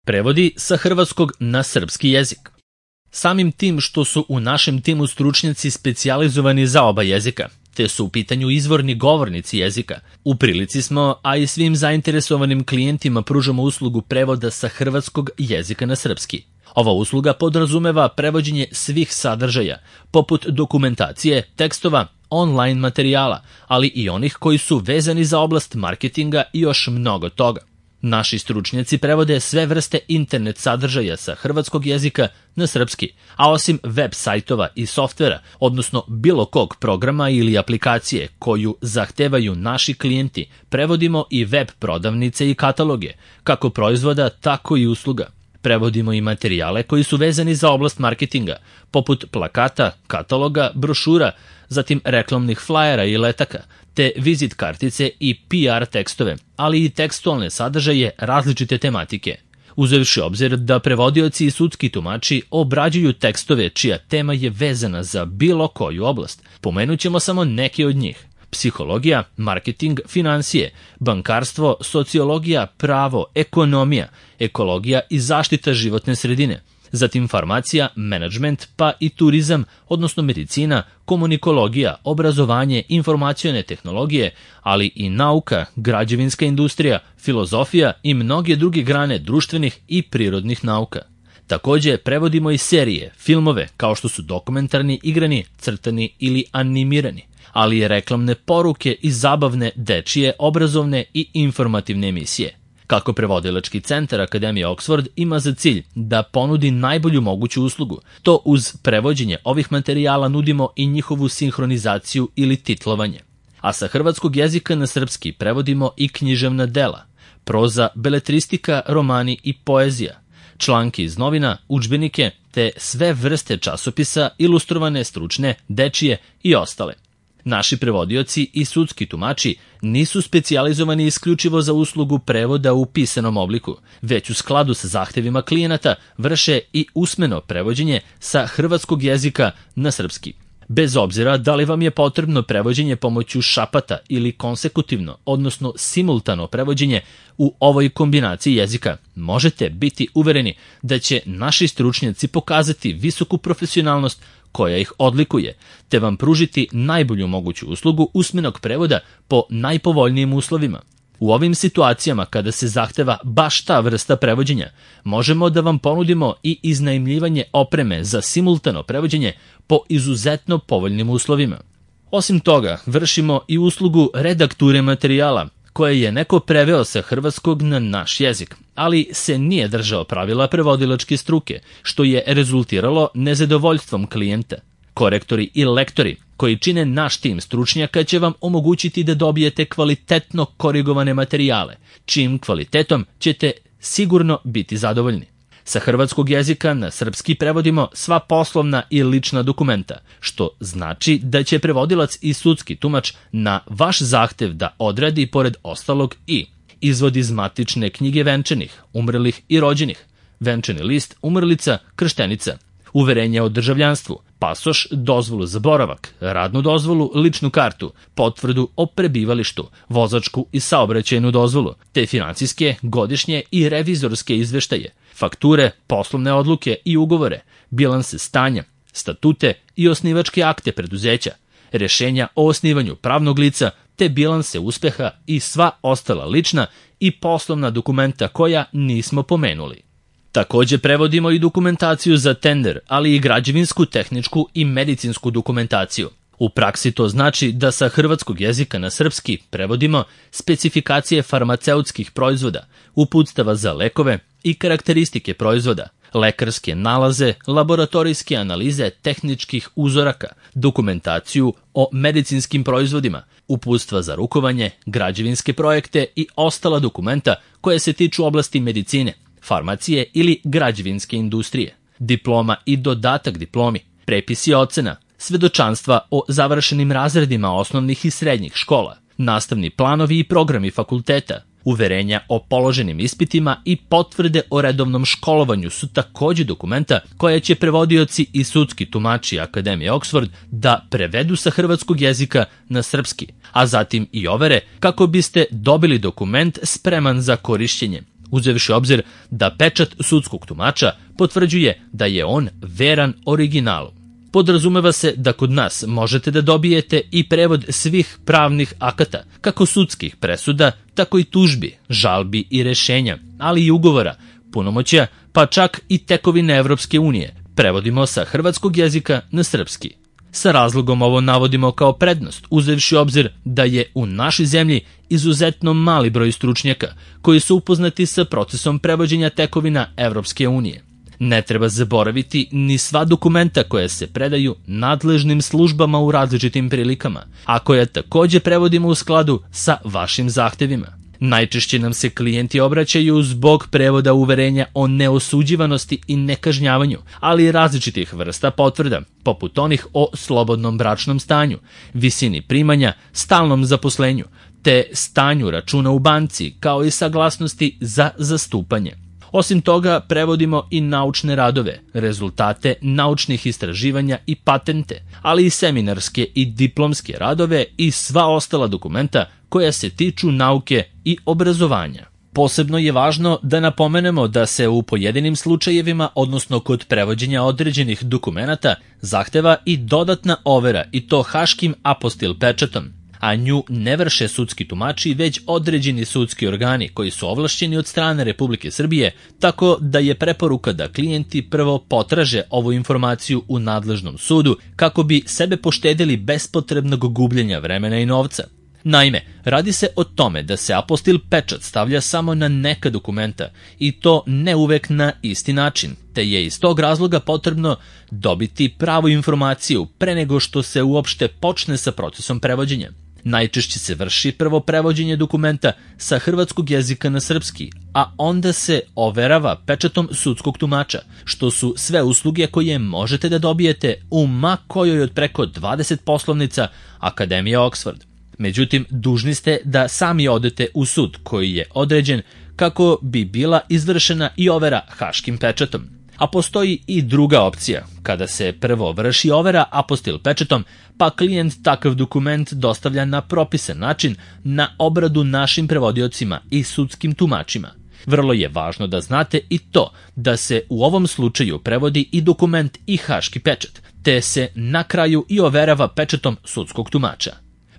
Prevodi sa hrvatskog na srpski jezik. Samim tim što su u našem timu stručnjaci specijalizovani za oba jezika, te su u pitanju izvorni govornici jezika, u prilici smo, a i svim zainteresovanim klijentima pružamo uslugu prevoda sa hrvatskog jezika na srpski. Ova usluga podrazumeva prevođenje svih sadržaja, poput dokumentacije, tekstova, online materijala, ali i onih koji su vezani za oblast marketinga i još mnogo toga. Naši stručnjaci prevode sve vrste internet sadržaja sa hrvatskog jezika na srpski, a osim web sajtova i softvera, odnosno bilo kog programa ili aplikacije koju zahtevaju naši klijenti, prevodimo i web prodavnice i kataloge, kako proizvoda, tako i usluga. Prevodimo i materijale koji su vezani za oblast marketinga, poput plakata, kataloga, brošura, zatim reklamnih flajera i letaka, te vizit kartice i PR tekstove, ali i tekstualne sadržaje različite tematike. Uzevši obzir da prevodioci i sudski tumači obrađuju tekstove čija tema je vezana za bilo koju oblast, pomenut ćemo samo neke od njih. Psihologija, marketing, finansije, bankarstvo, sociologija, pravo, ekonomija, ekologija i zaštita životne sredine, zatim farmacija, menadžment, pa i turizam, odnosno medicina, komunikologija, obrazovanje, informacione tehnologije, ali i nauka, građevinska industrija, filozofija i mnoge druge grane društvenih i prirodnih nauka. Takođe, prevodimo i serije, filmove, kao što su dokumentarni, igrani, crtani ili animirani, ali i reklamne poruke i zabavne, dečije, obrazovne i informativne emisije. Kako prevodilački centar Akademije Oxford ima za cilj da ponudi najbolju moguću uslugu, to uz prevođenje ovih materijala nudimo i njihovu sinhronizaciju ili titlovanje. A sa hrvatskog jezika na srpski prevodimo i književna dela, proza, beletristika, romani i poezija, članke iz novina, udžbenike, te sve vrste časopisa, ilustrovane, stručne, dečije i ostale. Naši prevodioci i sudski tumači nisu specijalizovani isključivo za uslugu prevoda u pisanom obliku, već u skladu sa zahtevima klijenata vrše i usmeno prevođenje sa hrvatskog jezika na srpski. Bez obzira da li vam je potrebno prevođenje pomoću šapata ili konsekutivno, odnosno simultano prevođenje u ovoj kombinaciji jezika, možete biti uvereni da će naši stručnjaci pokazati visoku profesionalnost koja ih odlikuje, te vam pružiti najbolju moguću uslugu usmenog prevoda po najpovoljnijim uslovima. U ovim situacijama kada se zahteva baš ta vrsta prevođenja, možemo da vam ponudimo i iznajmljivanje opreme za simultano prevođenje po izuzetno povoljnim uslovima. Osim toga, vršimo i uslugu redakture materijala, koje je neko preveo sa hrvatskog na naš jezik, ali se nije držao pravila prevodilačke struke, što je rezultiralo nezadovoljstvom klijenta. Korektori i lektori koji čine naš tim stručnjaka će vam omogućiti da dobijete kvalitetno korigovane materijale, čijim kvalitetom ćete sigurno biti zadovoljni. Sa hrvatskog jezika na srpski prevodimo sva poslovna i lična dokumenta, što znači da će prevodilac i sudski tumač na vaš zahtev da odradi pored ostalog i izvod iz matične knjige venčanih, umrlih i rođenih, venčani list, umrlica, krštenica, uverenje o državljanstvu, pasoš, dozvolu za boravak, radnu dozvolu, ličnu kartu, potvrdu o prebivalištu, vozačku i saobraćajnu dozvolu, te financijske, godišnje i revizorske izveštaje, fakture, poslovne odluke i ugovore, bilanse stanja, statute i osnivačke akte preduzeća, rešenja o osnivanju pravnog lica, te bilanse uspeha i sva ostala lična i poslovna dokumenta koja nismo pomenuli. Takođe prevodimo i dokumentaciju za tender, ali i građevinsku, tehničku i medicinsku dokumentaciju. U praksi to znači da sa hrvatskog jezika na srpski prevodimo specifikacije farmaceutskih proizvoda, uputstava za lekove i karakteristike proizvoda, lekarske nalaze, laboratorijske analize tehničkih uzoraka, dokumentaciju o medicinskim proizvodima, uputstva za rukovanje, građevinske projekte i ostala dokumenta koje se tiču oblasti medicine, farmacije ili građevinske industrije, diploma i dodatak diplomi, prepisi ocena, svedočanstva o završenim razredima osnovnih i srednjih škola, nastavni planovi i programi fakulteta, uverenja o položenim ispitima i potvrde o redovnom školovanju su takođe dokumenta koja će prevodioci i sudski tumači Akademije Oxford da prevedu sa hrvatskog jezika na srpski, a zatim i overe kako biste dobili dokument spreman za korišćenje. uzevši obzir da pečat sudskog tumača potvrđuje da je on veran originalu. Podrazumeva se da kod nas možete da dobijete i prevod svih pravnih akata, kako sudskih presuda, tako i tužbi, žalbi i rešenja, ali i ugovora, punomoćja, pa čak i tekovine Evropske unije, prevodimo sa hrvatskog jezika na srpski. Sa razlogom ovo navodimo kao prednost, uzevši obzir da je u našoj zemlji izuzetno mali broj stručnjaka koji su upoznati sa procesom prevođenja tekovina Evropske unije. Ne treba zaboraviti ni sva dokumenta koja se predaju nadležnim službama u različitim prilikama, a koja takođe prevodimo u skladu sa vašim zahtevima. Najčešće nam se klijenti obraćaju zbog prevoda uverenja o neosuđivanosti i nekažnjavanju, ali i različitih vrsta potvrda, poput onih o slobodnom bračnom stanju, visini primanja, stalnom zaposlenju, te stanju računa u banci, kao i saglasnosti za zastupanje. Osim toga, prevodimo i naučne radove, rezultate naučnih istraživanja i patente, ali i seminarske i diplomske radove i sva ostala dokumenta koja se tiču nauke i obrazovanja. Posebno je važno da napomenemo da se u pojedinim slučajevima, odnosno kod prevođenja određenih dokumenata, zahteva i dodatna overa, i to haškim apostil pečatom, a nju ne vrše sudski tumači, već određeni sudski organi koji su ovlašćeni od strane Republike Srbije, tako da je preporuka da klijenti prvo potraže ovu informaciju u nadležnom sudu kako bi sebe poštedili bespotrebnog gubljenja vremena i novca. Naime, radi se o tome da se apostil pečat stavlja samo na neka dokumenta i to ne uvek na isti način, te je iz tog razloga potrebno dobiti pravu informaciju pre nego što se uopšte počne sa procesom prevođenja. Najčešće se vrši prvo prevođenje dokumenta sa hrvatskog jezika na srpski, a onda se overava pečatom sudskog tumača, što su sve usluge koje možete da dobijete u ma kojoj od preko 20 poslovnica Akademije Oxford. Međutim, dužni ste da sami odete u sud koji je određen kako bi bila izvršena i overa haškim pečatom. A postoji i druga opcija, kada se prvo vrši overa apostil pečatom, pa klijent takav dokument dostavlja na propisan način na obradu našim prevodiocima i sudskim tumačima. Vrlo je važno da znate i to da se u ovom slučaju prevodi i dokument i haški pečat, te se na kraju i overava pečatom sudskog tumača.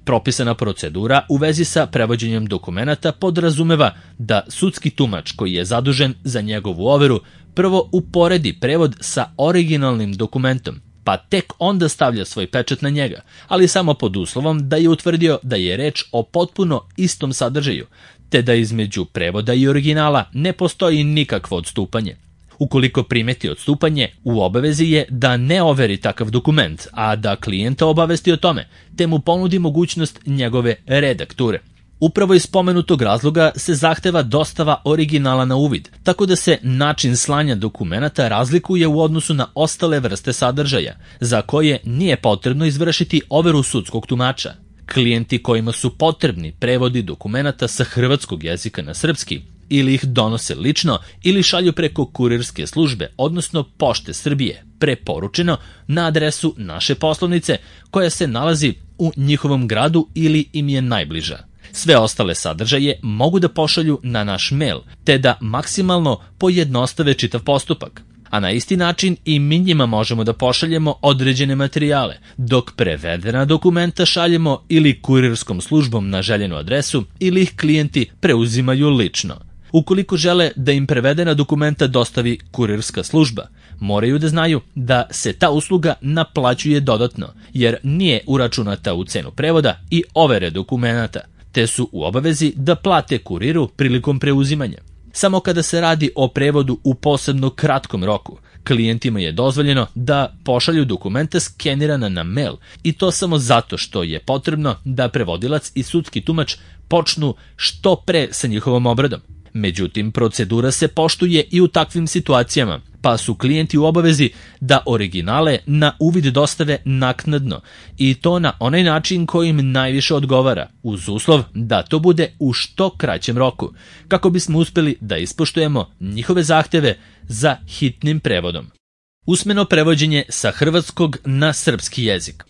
Propisana procedura u vezi sa prevođenjem dokumenata podrazumeva da sudski tumač koji je zadužen za njegovu overu prvo uporedi prevod sa originalnim dokumentom, pa tek onda stavlja svoj pečat na njega, ali samo pod uslovom da je utvrdio da je reč o potpuno istom sadržaju, te da između prevoda i originala ne postoji nikakvo odstupanje. Ukoliko primeti odstupanje, u obavezi je da ne overi takav dokument, a da klijenta obavesti o tome, te mu ponudi mogućnost njegove redakture. Upravo iz spomenutog razloga se zahteva dostava originala na uvid, tako da se način slanja dokumenata razlikuje u odnosu na ostale vrste sadržaja, za koje nije potrebno izvršiti overu sudskog tumača. Klijenti kojima su potrebni prevodi dokumenata sa hrvatskog jezika na srpski, ili ih donose lično ili šalju preko kurirske službe, odnosno Pošte Srbije, preporučeno na adresu naše poslovnice koja se nalazi u njihovom gradu ili im je najbliža. Sve ostale sadržaje mogu da pošalju na naš mail, te da maksimalno pojednostave čitav postupak. A na isti način i mi njima možemo da pošaljemo određene materijale, dok prevedena dokumenta šaljemo ili kurirskom službom na željenu adresu ili ih klijenti preuzimaju lično. Ukoliko žele da im prevedena dokumenta dostavi kurirska služba, moraju da znaju da se ta usluga naplaćuje dodatno, jer nije uračunata u cenu prevoda i overe dokumenata, te su u obavezi da plate kuriru prilikom preuzimanja. Samo kada se radi o prevodu u posebno kratkom roku, klijentima je dozvoljeno da pošalju dokumenta skenirana na mail, i to samo zato što je potrebno da prevodilac i sudski tumač počnu što pre sa njihovom obradom. Međutim, procedura se poštuje i u takvim situacijama, pa su klijenti u obavezi da originale na uvid dostave naknadno, i to na onaj način koji im najviše odgovara, uz uslov da to bude u što kraćem roku, kako bismo uspeli da ispoštujemo njihove zahteve za hitnim prevodom. Usmeno prevođenje sa hrvatskog na srpski jezik.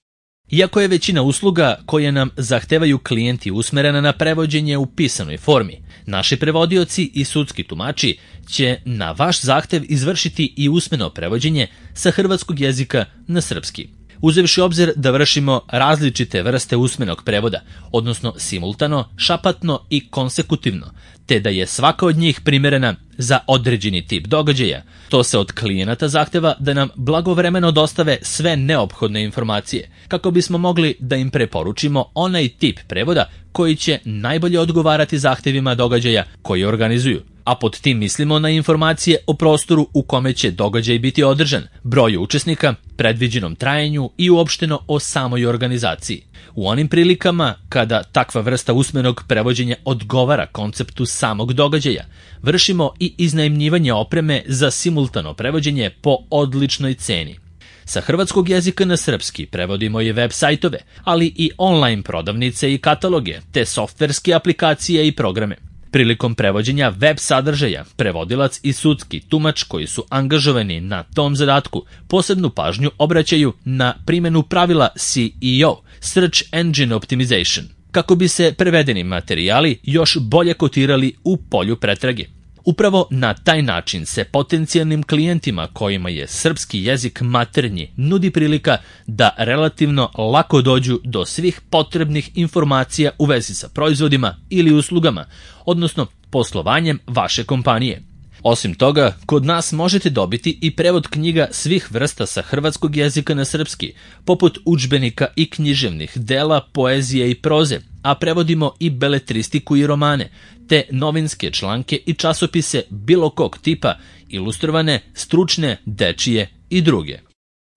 Iako je većina usluga koje nam zahtevaju klijenti usmerena na prevođenje u pisanoj formi, naši prevodioci i sudski tumači će na vaš zahtev izvršiti i usmeno prevođenje sa hrvatskog jezika na srpski. Uzevši obzir da vršimo različite vrste usmenog prevoda, odnosno simultano, šapatno i konsekutivno, te da je svaka od njih primerena za određeni tip događaja, to se od klijenata zahteva da nam blagovremeno dostave sve neophodne informacije, kako bismo mogli da im preporučimo onaj tip prevoda koji će najbolje odgovarati zahtevima događaja koji organizuju. A pod tim mislimo na informacije o prostoru u kome će događaj biti održan, broju učesnika, predviđenom trajanju i uopšteno o samoj organizaciji. U onim prilikama kada takva vrsta usmenog prevođenja odgovara konceptu samog događaja, vršimo i iznajmljivanje opreme za simultano prevođenje po odličnoj ceni. Sa hrvatskog jezika na srpski prevodimo i web sajtove, ali i online prodavnice i kataloge, te softverske aplikacije i programe. Prilikom prevođenja web sadržaja, prevodilac i sudski tumač koji su angažovani na tom zadatku posebnu pažnju obraćaju na primjenu pravila SEO, Search Engine Optimization, kako bi se prevedeni materijali još bolje kotirali u polju pretrage. Upravo na taj način se potencijalnim klijentima kojima je srpski jezik maternji nudi prilika da relativno lako dođu do svih potrebnih informacija u vezi sa proizvodima ili uslugama, odnosno poslovanjem vaše kompanije. Osim toga, kod nas možete dobiti i prevod knjiga svih vrsta sa hrvatskog jezika na srpski, poput udžbenika i književnih dela, poezije i proze, a prevodimo i beletristiku i romane, te novinske članke i časopise bilo kog tipa, ilustrovane, stručne, dečije i druge.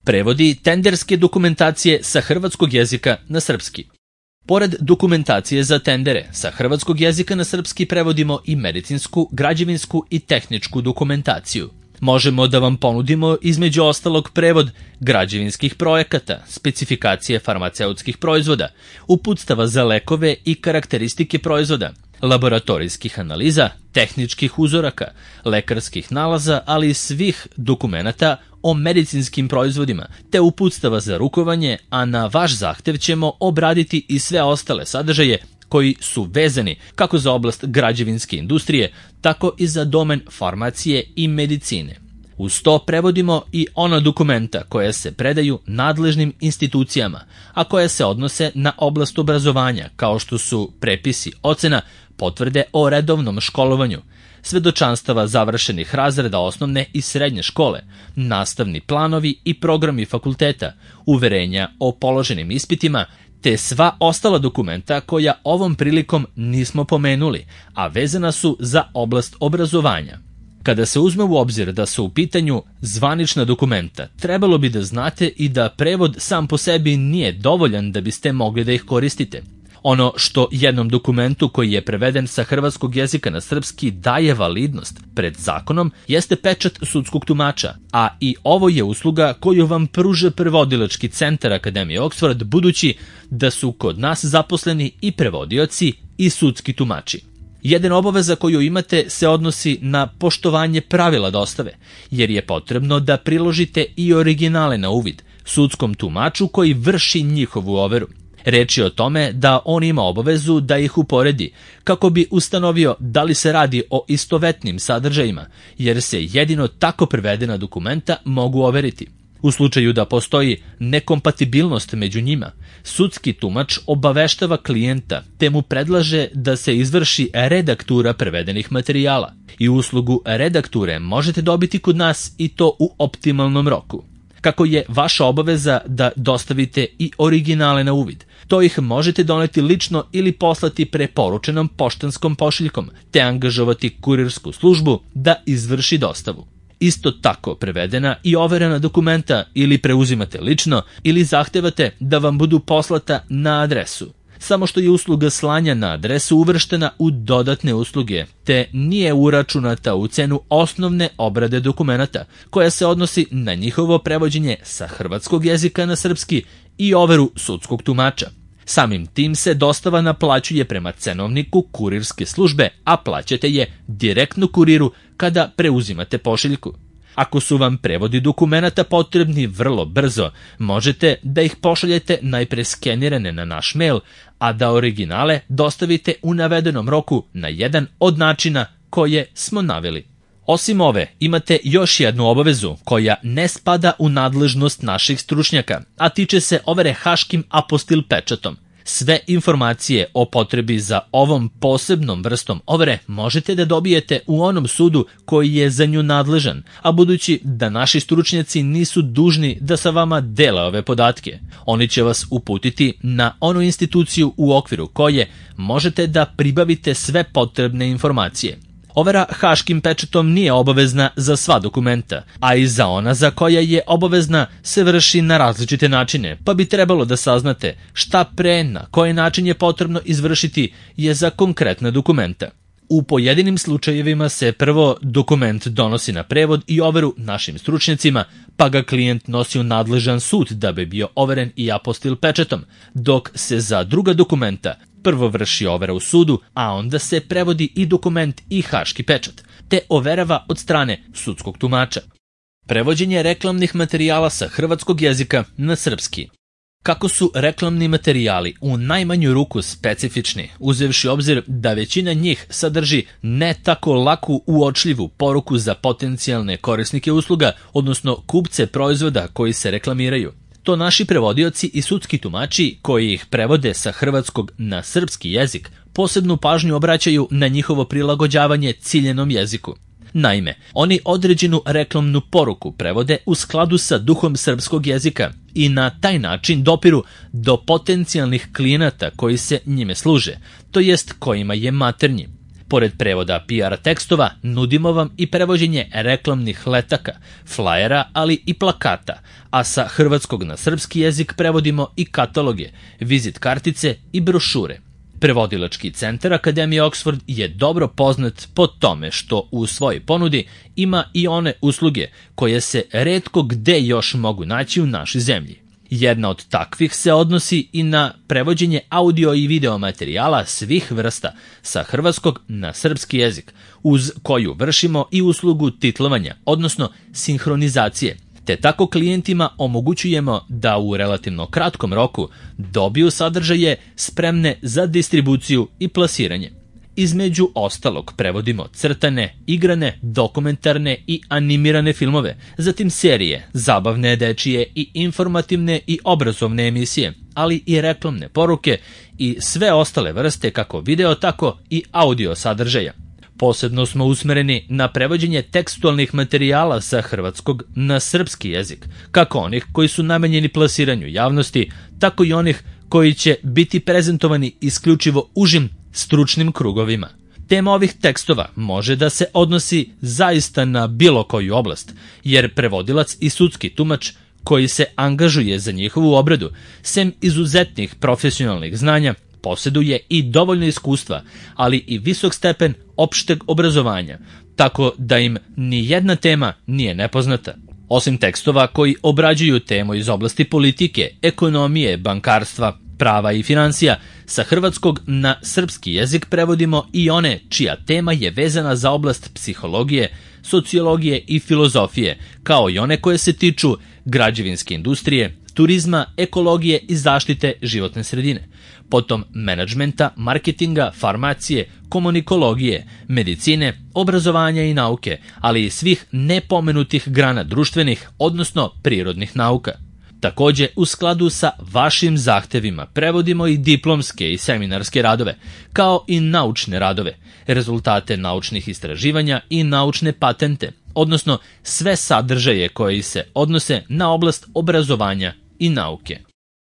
Prevodi tenderske dokumentacije sa hrvatskog jezika na srpski. Pored dokumentacije za tendere, sa hrvatskog jezika na srpski prevodimo i medicinsku, građevinsku i tehničku dokumentaciju. Možemo da vam ponudimo između ostalog prevod građevinskih projekata, specifikacije farmaceutskih proizvoda, uputstava za lekove i karakteristike proizvoda, laboratorijskih analiza, tehničkih uzoraka, lekarskih nalaza, ali i svih dokumenata o medicinskim proizvodima, te uputstava za rukovanje, a na vaš zahtev ćemo obraditi i sve ostale sadržaje koji su vezani kako za oblast građevinske industrije, tako i za domen farmacije i medicine. Uz to prevodimo i ona dokumenta koja se predaju nadležnim institucijama, a koja se odnose na oblast obrazovanja, kao što su prepisi ocena, potvrde o redovnom školovanju, svedočanstava završenih razreda osnovne i srednje škole, nastavni planovi i programi fakulteta, uverenja o položenim ispitima, te sva ostala dokumenta koja ovom prilikom nismo pomenuli, a vezana su za oblast obrazovanja. Kada se uzme u obzir da su u pitanju zvanična dokumenta, trebalo bi da znate i da prevod sam po sebi nije dovoljan da biste mogli da ih koristite. Ono što jednom dokumentu koji je preveden sa hrvatskog jezika na srpski daje validnost pred zakonom jeste pečat sudskog tumača, a i ovo je usluga koju vam pruža prevodilački centar Akademije Oxford, budući da su kod nas zaposleni i prevodioci i sudski tumači. Jedna obaveza koju imate se odnosi na poštovanje pravila dostave, jer je potrebno da priložite i originale na uvid sudskom tumaču koji vrši njihovu overu. Reč je o tome da on ima obavezu da ih uporedi kako bi ustanovio da li se radi o istovetnim sadržajima, jer se jedino tako prevedena dokumenta mogu overiti. U slučaju da postoji nekompatibilnost među njima, sudski tumač obaveštava klijenta te mu predlaže da se izvrši redaktura prevedenih materijala. I uslugu redakture možete dobiti kod nas i to u optimalnom roku. Kako je vaša obaveza da dostavite i originale na uvid, to ih možete doneti lično ili poslati preporučenom poštanskom pošiljkom, te angažovati kurirsku službu da izvrši dostavu. Isto tako prevedena i overena dokumenta ili preuzimate lično ili zahtevate da vam budu poslata na adresu. Samo što je usluga slanja na adresu uvrštena u dodatne usluge, te nije uračunata u cenu osnovne obrade dokumenata, koja se odnosi na njihovo prevođenje sa hrvatskog jezika na srpski i overu sudskog tumača. Samim tim se dostava naplaćuje prema cenovniku kurirske službe, a plaćate je direktno kuriru kada preuzimate pošiljku. Ako su vam prevodi dokumenata potrebni vrlo brzo, možete da ih pošaljete najpre skenirane na naš mail, a da originale dostavite u navedenom roku na jedan od načina koje smo naveli. Osim ove, imate još jednu obavezu koja ne spada u nadležnost naših stručnjaka, a tiče se overe haškim apostil pečatom. Sve informacije o potrebi za ovom posebnom vrstom overe možete da dobijete u onom sudu koji je za nju nadležan, a budući da naši stručnjaci nisu dužni da sa vama dele ove podatke, oni će vas uputiti na onu instituciju u okviru koje možete da pribavite sve potrebne informacije. Overa haškim pečatom nije obavezna za sva dokumenta, a i za ona za koja je obavezna se vrši na različite načine, pa bi trebalo da saznate šta pre, na koji način je potrebno izvršiti je za konkretna dokumenta. U pojedinim slučajevima se prvo dokument donosi na prevod i overu našim stručnjacima, pa ga klijent nosi u nadležan sud da bi bio overen i apostil pečatom, dok se za druga dokumenta prvo vrši overa u sudu, a onda se prevodi i dokument i haški pečat, te overava od strane sudskog tumača. Prevođenje reklamnih materijala sa hrvatskog jezika na srpski. Kako su reklamni materijali u najmanju ruku specifični, uzevši obzir da većina njih sadrži ne tako laku uočljivu poruku za potencijalne korisnike usluga, odnosno kupce proizvoda koji se reklamiraju. To naši prevodioci i sudski tumači koji ih prevode sa hrvatskog na srpski jezik posebnu pažnju obraćaju na njihovo prilagođavanje ciljenom jeziku. Naime, oni određenu reklamnu poruku prevode u skladu sa duhom srpskog jezika i na taj način dopiru do potencijalnih klijenata koji se njime služe, to jest kojima je maternji. Pored prevoda PR tekstova, nudimo vam i prevođenje reklamnih letaka, flajera, ali i plakata, a sa hrvatskog na srpski jezik prevodimo i kataloge, vizit kartice i brošure. Prevodilački centar Akademije Oxford je dobro poznat po tome što u svojoj ponudi ima i one usluge koje se retko gde još mogu naći u našoj zemlji. Jedna od takvih se odnosi i na prevođenje audio i video materijala svih vrsta sa hrvatskog na srpski jezik, uz koju vršimo i uslugu titlovanja, odnosno sinhronizacije, te tako klijentima omogućujemo da u relativno kratkom roku dobiju sadržaje spremne za distribuciju i plasiranje. Između ostalog prevodimo crtane, igrane, dokumentarne i animirane filmove, zatim serije, zabavne, dečije i informativne i obrazovne emisije, ali i reklamne poruke i sve ostale vrste kako video, tako i audio sadržaja. Posebno smo usmereni na prevođenje tekstualnih materijala sa hrvatskog na srpski jezik, kako onih koji su namenjeni plasiranju javnosti, tako i onih koji će biti prezentovani isključivo užim stručnim krugovima. Tema ovih tekstova može da se odnosi zaista na bilo koju oblast, jer prevodilac i sudski tumač koji se angažuje za njihovu obradu, sem izuzetnih profesionalnih znanja, posjeduje i dovoljno iskustva, ali i visok stepen opšteg obrazovanja, tako da im ni jedna tema nije nepoznata. Osim tekstova koji obrađuju temu iz oblasti politike, ekonomije, bankarstva, prava i financija, sa hrvatskog na srpski jezik prevodimo i one čija tema je vezana za oblast psihologije, sociologije i filozofije, kao i one koje se tiču građevinske industrije, turizma, ekologije i zaštite životne sredine, potom menadžmenta, marketinga, farmacije, komunikologije, medicine, obrazovanja i nauke, ali i svih nepomenutih grana društvenih, odnosno prirodnih nauka. Takođe, u skladu sa vašim zahtevima prevodimo i diplomske i seminarske radove, kao i naučne radove, rezultate naučnih istraživanja i naučne patente, odnosno sve sadržaje koji se odnose na oblast obrazovanja i nauke.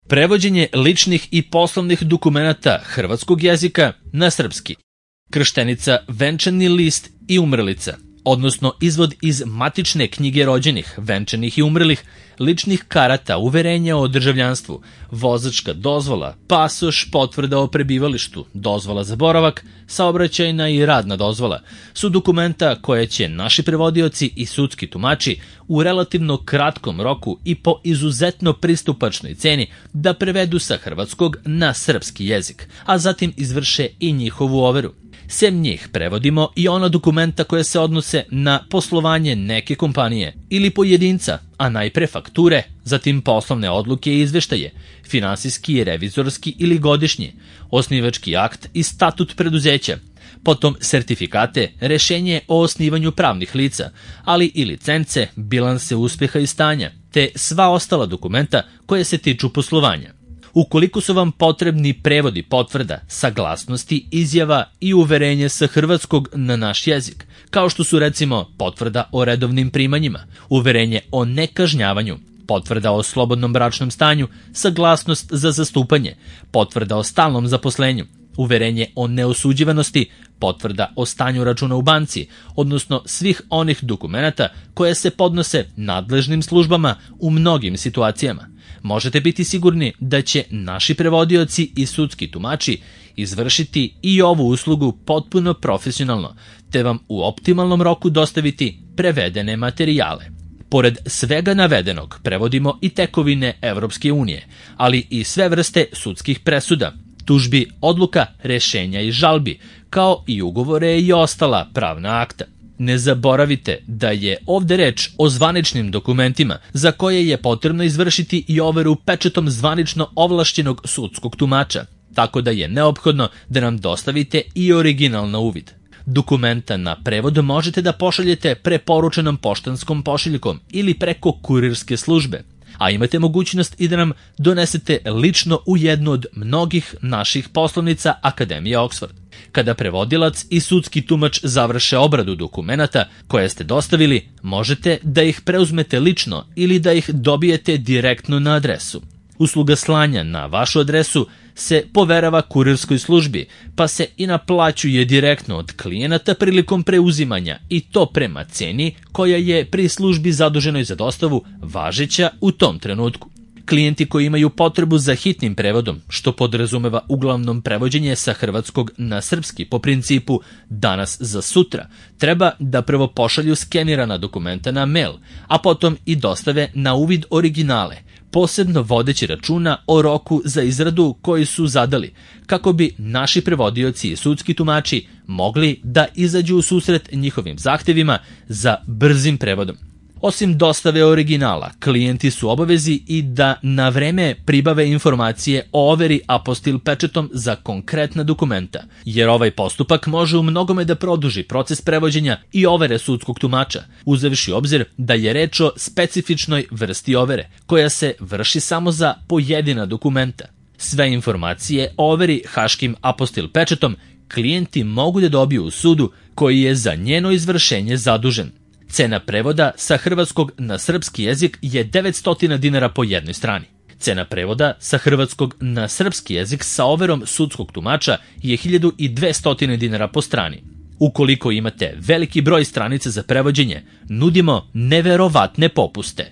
Prevođenje ličnih i poslovnih dokumenata hrvatskog jezika na srpski. Krštenica, venčani list i umrlica, odnosno izvod iz matične knjige rođenih, venčanih i umrlih, ličnih karata, uverenja o državljanstvu, vozačka dozvola, pasoš, potvrda o prebivalištu, dozvola za boravak, saobraćajna i radna dozvola su dokumenta koje će naši prevodioci i sudski tumači u relativno kratkom roku i po izuzetno pristupačnoj ceni da prevedu sa hrvatskog na srpski jezik, a zatim izvrše i njihovu overu. Sem njih prevodimo i ona dokumenta koja se odnose na poslovanje neke kompanije ili pojedinca, a najpre fakture, zatim poslovne odluke i izveštaje, finansijski, revizorski ili godišnji, osnivački akt i statut preduzeća, potom sertifikate, rešenje o osnivanju pravnih lica, ali i licence, bilanse uspeha i stanja, te sva ostala dokumenta koje se tiču poslovanja. Ukoliko su vam potrebni prevodi potvrda, saglasnosti, izjava i uverenje sa hrvatskog na naš jezik, kao što su recimo potvrda o redovnim primanjima, uverenje o nekažnjavanju, potvrda o slobodnom bračnom stanju, saglasnost za zastupanje, potvrda o stalnom zaposlenju, uverenje o neosuđivanosti, potvrda o stanju računa u banci, odnosno svih onih dokumenata koje se podnose nadležnim službama u mnogim situacijama. Možete biti sigurni da će naši prevodioci i sudski tumači izvršiti i ovu uslugu potpuno profesionalno, te vam u optimalnom roku dostaviti prevedene materijale. Pored svega navedenog, prevodimo i tekovine Evropske unije, ali i sve vrste sudskih presuda, tužbi, odluka, rešenja i žalbi, kao i ugovore i ostala pravna akta. Ne zaboravite da je ovde reč o zvaničnim dokumentima za koje je potrebno izvršiti i overu pečatom zvanično ovlašćenog sudskog tumača, tako da je neophodno da nam dostavite i original na uvid. Dokumenta na prevod možete da pošaljete preporučenom poštanskom pošiljkom ili preko kurirske službe, a imate mogućnost i da nam donesete lično u jednu od mnogih naših poslovnica Akademije Oxford. Kada prevodilac i sudski tumač završe obradu dokumenata koje ste dostavili, možete da ih preuzmete lično ili da ih dobijete direktno na adresu. Usluga slanja na vašu adresu se poverava kurirskoj službi, pa se i naplaćuje direktno od klijenata prilikom preuzimanja i to prema ceni koja je pri službi zaduženoj za dostavu važeća u tom trenutku. Klijenti koji imaju potrebu za hitnim prevodom, što podrazumeva uglavnom prevođenje sa hrvatskog na srpski po principu danas za sutra, treba da prvo pošalju skenirana dokumenta na mail, a potom i dostave na uvid originale, posebno vodeći računa o roku za izradu koji su zadali, kako bi naši prevodioci i sudski tumači mogli da izađu u susret njihovim zahtevima za brzim prevodom. Osim dostave originala, klijenti su obavezi i da na vreme pribave informacije o overi apostil pečetom za konkretna dokumenta, jer ovaj postupak može u mnogome da produži proces prevođenja i overe sudskog tumača, uzevši obzir da je reč o specifičnoj vrsti overe, koja se vrši samo za pojedina dokumenta. Sve informacije o overi haškim apostil pečetom klijenti mogu da dobiju u sudu koji je za njeno izvršenje zadužen. Cena prevoda sa hrvatskog na srpski jezik je 900 dinara po jednoj strani. Cena prevoda sa hrvatskog na srpski jezik sa overom sudskog tumača je 1200 dinara po strani. Ukoliko imate veliki broj stranica za prevođenje, nudimo neverovatne popuste.